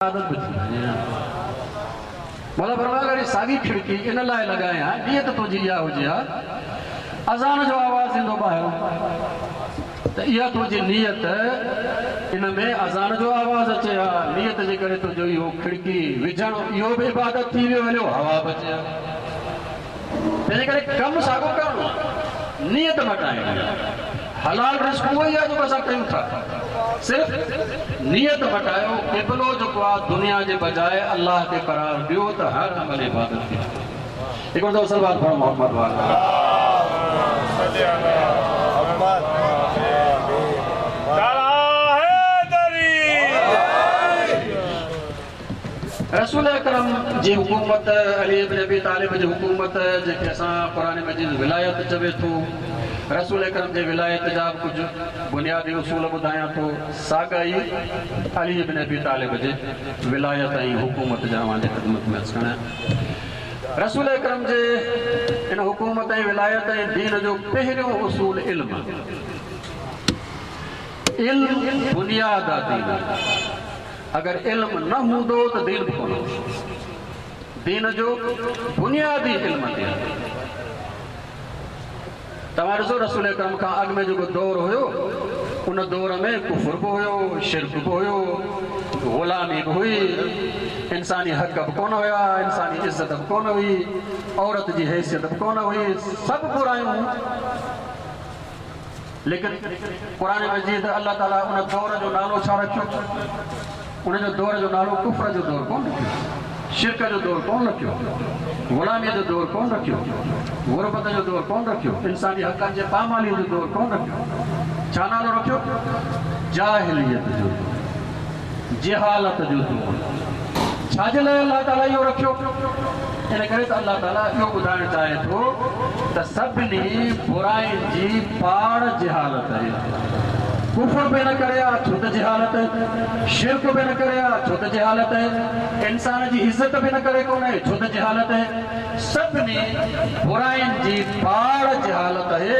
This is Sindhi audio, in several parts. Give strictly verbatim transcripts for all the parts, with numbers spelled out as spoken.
عادت به ٿي وڃي ها. مولا فرمايو اگر هي ساڳي کڙڪي ان لاء لڳايان نيت تنهنجي اها هجي ها اذان جو آواز ايندو ٻاهران ته اها تنهنجي نيت ان ۾ اذان جو آواز اچي ها، نيت جي ڪري تنهنجو اهو کڙڪي وجهڻ اهو به عبادت ٿي ويو هليو، هوا به اچي ها. تنهنجي ڪري ڪم ساڳو ڪرڻو آهي، نيت مٽائڻي آهي. حلال رزق اهو ئي آهي جيڪو اسان ڪيون ٿا، صرف نيت مٽايو. قبلو جيڪو آهي دنيا جي بجاء الله کي قرار ڏيو ته هر عمل عبادت ٿي وڃي. هڪڙو دفعو صلوات پڙهو محمد وآله. رسول اڪرم جي حڪومت، علي ابن ابي طالب جي حڪومت، جنهن کي اسان قرآن مجيد ولايت چوي ٿو، رسول اڪرم جي ولايت جا به ڪجهه بنيادي اصول ٻڌايان ٿو، ساڳا ئي علي ابن ابي طالب جي ولايت ۽ حڪومت جا اوهان جي خدمت ۾ عرض ڪرڻ. رسول اڪرم جي ان حڪومت ۽ ولايت ۽ دين جو پهريون اصول علم آهي. علم بنياد آهي دين جو. اگر علم نه هوندو ته دين به ڪونه هوندو. دين جو بنياد ئي علم تي آهي. توهان ڏسو رسول اڪرم کان اڳ ۾ جيڪو دور هيو ان دور ۾ ڪفر به هيو، شرڪ به هيو، غلامي به هئي، انساني حق به ڪونه هيا، انساني عزت به ڪونه هئي، عورت جي حيثيت به ڪونه هئي، سڀ برايون هيون. ليڪن قرآن مجيد الله تعاليٰ ان دور جو نالو ڇا رکيو؟ ان جو دور جو نالو ڪفر جو دور ڪونه رکيو، شرڪ جو دور ڪونه رکيو، غلاميء جو دور ڪونه رکيو، غربت جو دور ڪونه رکيو، انساني حقن جي پاماليء جو دور ڪونه رکيو. ڇا نالو رکيو؟ جاهليت جو دور، جهالت جو دور. ڇا جي لاء الله تعاليٰ اهو رکيو؟ ان ڪري ته الله تعاليٰ اهو ٻڌائڻ چاهي ٿو ته سڀني براين جي پاڙ جهالت آهي. ڪفر به ان ڪري آهي ڇو ته جهالت آهي، شرڪ به ان ڪري آهي ڇو ته جهالت آهي، انسان جي عزت به ان ڪري ڪونهي ڇو ته جهالت آهي. سڀني براين جي پاڙ جهالت آهي،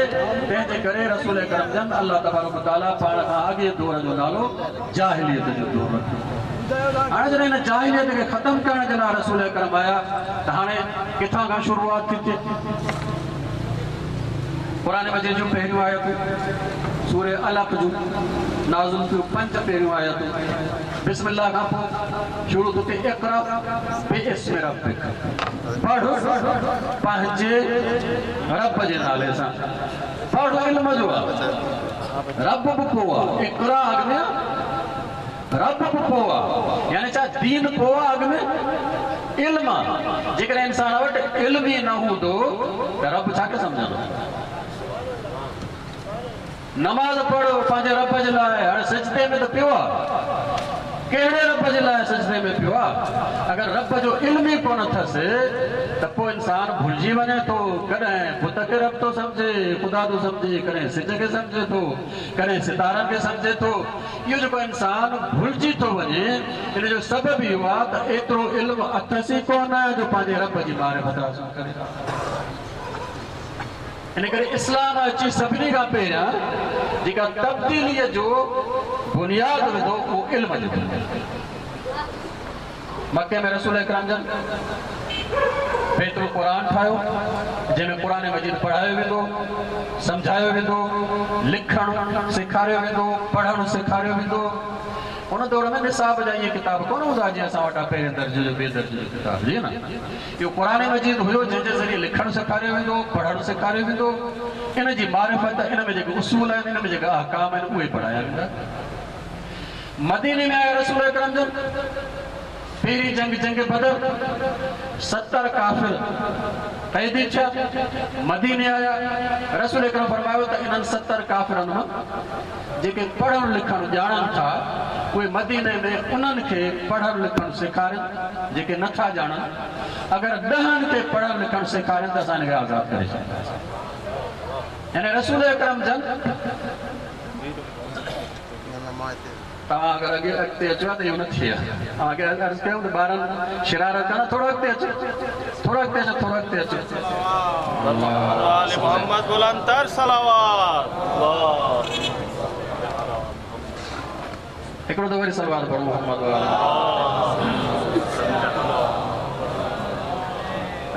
تنهن جي ڪري رسول اڪرم جن الله تبارڪ وتعاليٰ پاڻ کان اڳئين دور جو نالو جاهليت جو دور رکيو. هاڻي جڏهن هن جاهليت کي ختم ڪرڻ جي لاء رسول اڪرم آيا ته هاڻي ڪٿان کان شروعات ٿي ٿئي؟ قرآن مجيد جون پهريون آيتون سورة علق جون نازل ٿيون، پنج پهريون آيتون بسم الله کان پوء شروع ٿو ٿئي اقرأ باسم ربک، پڙهه پنهنجي رب جي نالي سان. پڙهه علم جو آ، رب به پوء آ، اقرأ اڳ ۾ آ، رب به پوء آ، يعني ڇا دين پوء آ اڳ ۾ علم آ. جيڪڏهن انسان وٽ علم ئي نه هوندو ته رب ڇا کي سمجهندو؟ نماز پڙهه پنهنجي رب جي لاء، هاڻي سجدي ۾ ته پيو آ، ڪهڙي رب جي لاء سجدي ۾ پيو آ؟ اگر رب جو علم ئي ڪونه اٿس ته پوء انسان ڀلجي وڃي ٿو، ڪڏهن بت کي رب ٿو سمجهي، خدا ٿو سمجهي، ڪڏهن سج کي سمجهي ٿو، ڪڏهن ستارن کي سمجهي ٿو. اهو جيڪو انسان ڀلجي ٿو وڃي ان جو سبب اهو آ ته ايترو علم اٿس ئي ڪونه جو پنهنجي رب جي معرفت حاصل ڪري. ان ڪري اسلام اچي سڀني کان پهريان جيڪا تبديليء جو بنياد وڌو اهو علم جو بنياد. مڪي ۾ رسول اڪرم جن بيت القرآن ٺاهيو، جنهن ۾ قرآن مجيد پڙهايو ويندو، سمجهايو ويندو، لکڻ سيکاريو ويندو، پڙهڻ سيکاريو ويندو. ان دور ۾ نصاب جا اهي ڪتاب ڪونه هوندا جيئن اسان وٽ آهي پهرين درجي جو ٻئي درجي جو ڪتاب، جي نه. اهو قرآن مجيد هيو جنهن جي ذريعي لکڻ سيکاريو ويندو، پڙهڻ سيکاريو ويندو، ان جي معرفت، ان ۾ جيڪي اصول آهن، ان ۾ جيڪي احڪام آهن اهي پڙهايا ويندا. مديني ۾ آيا رسول اڪرم جن، پهرين جنگ جنگ بدر، ستر ڪافر قيدي ٿيا، مديني آيا. رسول اڪرم فرمايو ته انهن ستر ڪافرن مان جيڪي پڙهڻ لکڻ ڄاڻن ٿا اهي مديني ۾ انهن کي پڙهڻ لکڻ سيکارين، جيڪي نٿا ڄاڻن اگر ڏهن کي پڙهڻ لکڻ سيکارين ته اسان هن کي آزاد ڪري ڇڏينداسين. يعني رسول اڪرم جن توهان اگر اڳي اڳتي اچو ها ته اهو نه ٿئي ها. اوهان کي عرض ڪيم ته ٻارن شرارت ڪندا، ٿورو اڳتي اچو، ٿورو اڳتي اچو، ٿورو اڳتي اچو. محمد بلندتر صلوات. हिकिड़ो त वरी सलवार पढ़ो मोहम्मद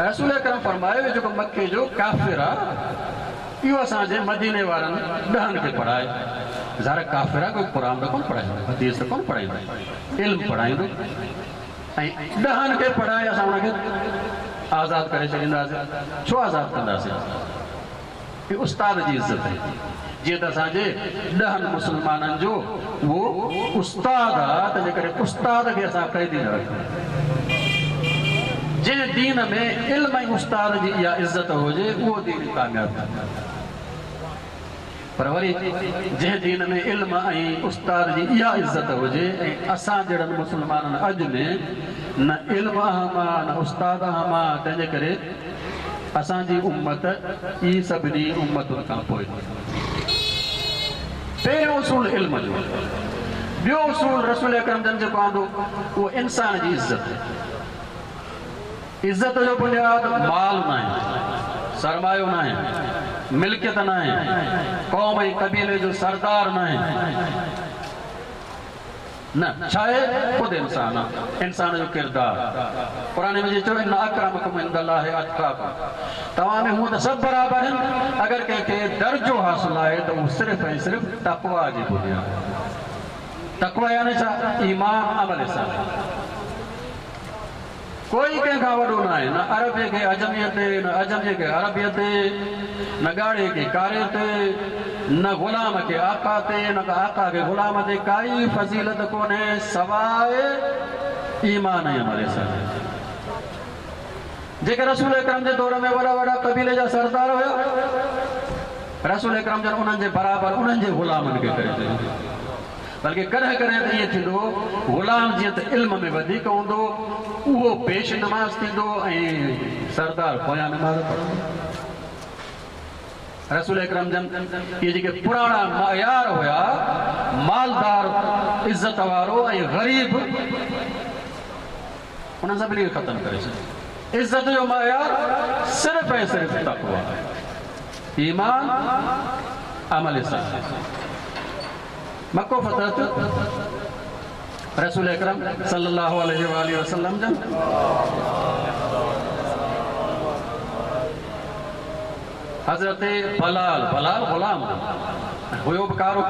रसूल अकरम फरमायो जेको मक्के जो काफ़िर आहे इहो असांजे मदीने वारनि ॾहनि खे पढ़ाए। ज़ाहिर काफ़िर आहे, कोई क़ुर त कोन पढ़ाईंदो, हदीस त कोन पढ़ाईंदो, इल्मु पढ़ाईंदो ऐं ॾहनि खे पढ़ाए असां हुनखे आज़ादु करे छॾींदासीं। छो आज़ादु कंदासीं? उस्ताद जी इज़त आहे। जीअं त असांजे ॾहनि मुस्लमाननि जो उहो उस्ताद आहे, तंहिंजे करे उस्ताद खे असां क़ैदी न रखूं। जंहिं दीन में इल्म ऐं उस्ताद जी इहा इज़त हुजे उहो दीन कामयाबु थींदो। पर वरी जंहिं दीन में इल्म ऐं उस्ताद जी इहा इज़त हुजे ऐं असां जहिड़नि मुस्लमाननि अॼु में न इल्म अहम आहे न उस्ताद अहम आहे, तंहिंजे करे असांजी उम्मत ई सभिनी उम्मतुनि खां पोइ। पहिरियों उसूल इल्म जो, ॿियो उसूल रसूल अकरम जन जेको आंदो उहो इंसान जी इज़त। इज़त जो बुनियाद माल न आहे, सरमायो न आहे, मिल्कियत न आहे, क़ौम ऐं क़बीले जो सरदार न आहे, न छा आहे ख़ुदि इंसान आहे, इंसान जो किरदारु। क़ुर में चयो इन अकरमकुम इंदल्लाहि अतक़ाकुम, तव्हां में हूअं त सभु बराबरि आहिनि, अगरि कंहिंखे दर्जो हासिलु आहे त उहो सिर्फ़ु ऐं सिर्फ़ु तक़वा जी बुनियाद। तक़वा यानी छा? ईमान अमल सां। कोई कंहिंखां वॾो न आहे, न अरबीअ खे अजमीअ ते, न अजमीअ खे अरबीअ ते, न ॻाढ़े खे कारे ते, न ग़ुलाम खे आक़ा ते, न आक़ा खे ग़ुलाम ते, काई फ़ज़ीलत कोन्हे सवाइ ईमान ऐं अमल सां। जेके रसूल अकरम जे दौर में वॾा वॾा क़बीले जा सरदार हुया, रसूल अकरम जन उन्हनि जे बराबरि उन्हनि जे ग़ुलामनि खे करे छॾियो। बल्कि कॾहिं कॾहिं त ईअं थींदो, ग़ुलाम जीअं त इल्म में वधीक हूंदो उहो पेश नमाज़ थींदो ऐं सरदार पोयां नमाज़ पढ़ंदो। रसूल अकरम जन इहे जेके पुराणा मयार हुया, मालदार इज़त वारो ऐं ग़रीब, उन्हनि सभिनी खे ख़तमु करे छॾियो। इज़त जो मयार सिर्फ़ु ऐं सिर्फ़ु तक़वा, ईमान, अमल सां। मक्को फतह थियो, रसूल अकरम सल्लल्लाहु अलैहि वसल्लम जन हज़रत बलाल, बलाल ग़ुलाम हुयो बि कारो,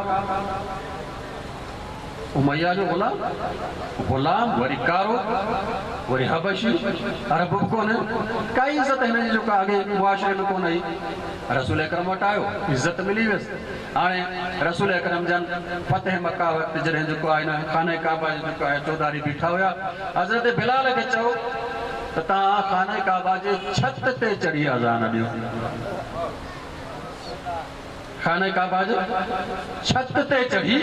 उमैया जो ग़ुलाम, ग़ुलाम वरी कारो, वरी हबशी, अरब बि कोन्हे, काई इज़त हिन जी जेका अॻे मुआशरे में कोन आई। रसूल अकरम वटि आयो, इज़त मिली वियसि। हाणे रसूल अकरम जन फतेह मक्का वक़्तु जॾहिं जेको आहे न खाने काबा जो जेको आहे चौधारी बीठा हुया, हज़रत बिलाल खे चयो त तव्हां खाने काबा जे छत ते चढ़ी अज़ान ॾियो। खाने काबा जे छत ते चढ़ी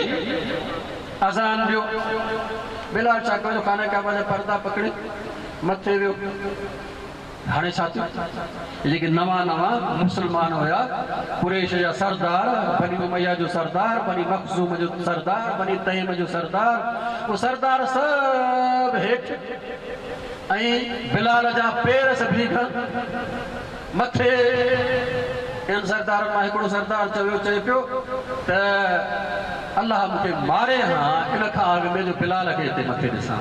अज़ान ॾियो। बिलाल छा कयो, खाने काबा जा पर्दा पकड़े मथे वियो। हाणे छा थियो, जेके नवां नवां मुस्लमान हुया, कुरैश जा सरदार, बनी उमैया जो सरदार, बनी मखज़ूम जो सरदार, बनी तैम जो सरदार, उहो सरदार सभु हेठि ऐं बिलाल जा पेर सभिनी खां मथे। इन सरदारनि मां हिकिड़ो सरदार चयो चए पियो त अलाह मूंखे मारे हा इन खां अॻु में जो बिलाल खे हिते मथे ॾिसां,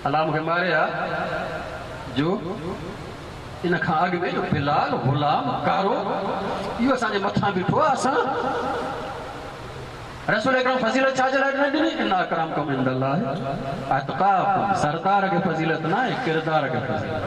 अलाह मूंखे मारे हा जो इन खां अॻु में जो बिलाल ग़ुलाम कारो इहो असांजे मथां बीठो आहे। असां रसूल अकरम फ़ज़ीलत छा जे लाइ ॾिनी? इन अकरमकुम इंदल्लाहि अतक़ाकुम। सरदार खे फ़ज़ीलत न आहे, किरदार खे फ़ज़ीलत।